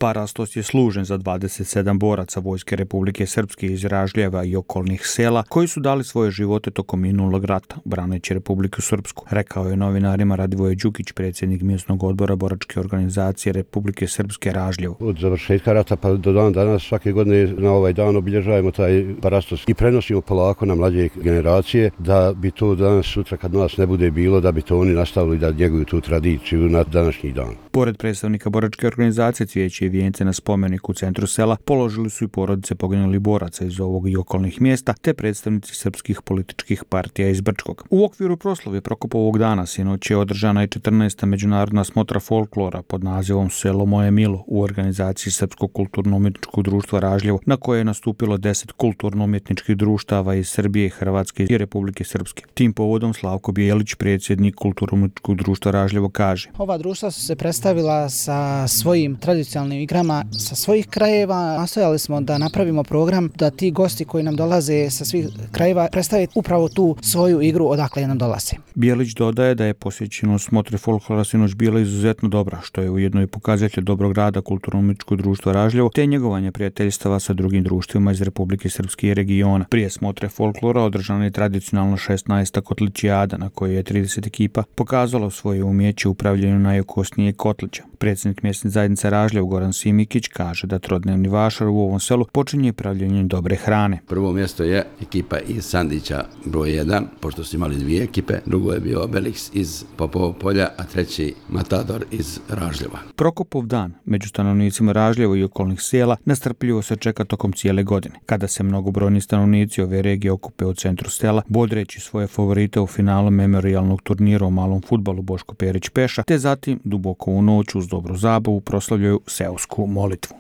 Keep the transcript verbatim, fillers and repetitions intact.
Parastos je služen za dvadeset sedam boraca Vojske Republike Srpske iz Ražljeva i okolnih sela koji su dali svoje živote tokom minulog rata, braneći Republiku Srpsku, rekao je novinarima Radivoje Đukić, predsjednik mjesnog odbora boračke organizacije Republike Srpske Ražljevo. Od završetka rata pa do dan danas svake godine na ovaj dan obilježavamo taj Parastos i prenosimo polako na mlađe generacije da bi to danas sutra kad nas ne bude bilo, da bi to oni nastavili da njeguju tu tradiciju na današnji dan. Pored predstavnika boračke organizacije cvijeće i vijence na spomeniku u centru sela položili su i porodice poginulih boraca iz ovog i okolnih mjesta te predstavnici srpskih političkih partija iz Brčkog. U okviru proslave Prokopovog dana sinoć je održana i četrnaesta međunarodna smotra folklora pod nazivom Selo moje milo u organizaciji Srpskog kulturno-umjetničkog društva Ražljevo, na koje je nastupilo deset kulturno-umjetničkih društava iz Srbije, Hrvatske i Republike Srpske. Tim povodom Slavko Bijelić, predsjednik kulturno-umjetničkog društva Ražljevo, kaže: Ova društva su se predstavila sa svojim tradicionalnim igrama sa svojih krajeva. Nastojali smo da napravimo program da ti gosti koji nam dolaze sa svih krajeva predstave upravo tu svoju igru odakle nam dolaze. Bijelić dodaje da je posjećenost smotre folklora sinoć bila izuzetno dobra, što je ujedno i pokazatelj dobrog rada kulturno-umjetničkog društva Ražljevo te njegovanje prijateljstava sa drugim društvima iz Republike Srpske i regiona. Prije smotre folklora održana je tradicionalno šesnaesta kotlićijada na kojoj je trideset ekipa pokazalo svoje umjeće u upravljanju najokosnijeg kotlića. Predsjednik mjesne zajednice Ražljevo Goran Simikić kaže da trodnevni vašar u ovom selu počinje pravljenjem dobre hrane. Prvo mjesto je ekipa iz Sandića broj jedan, pošto su imali dvije ekipe, drugo je bio Obelix iz Popovog polja, a treći Matador iz Ražljeva. Prokopov dan među stanovnicima Ražljevo i okolnih sela nestrpljivo se čeka tokom cijele godine, kada se mnogobrojni stanovnici ove regije okupe u centru sela, bodreći svoje favorite u finalu memorijalnog turnira u malom fudbalu Boško Perić Peša, te zatim duboko u noć uz dobru zabavu proslavljaju seosku molitvu.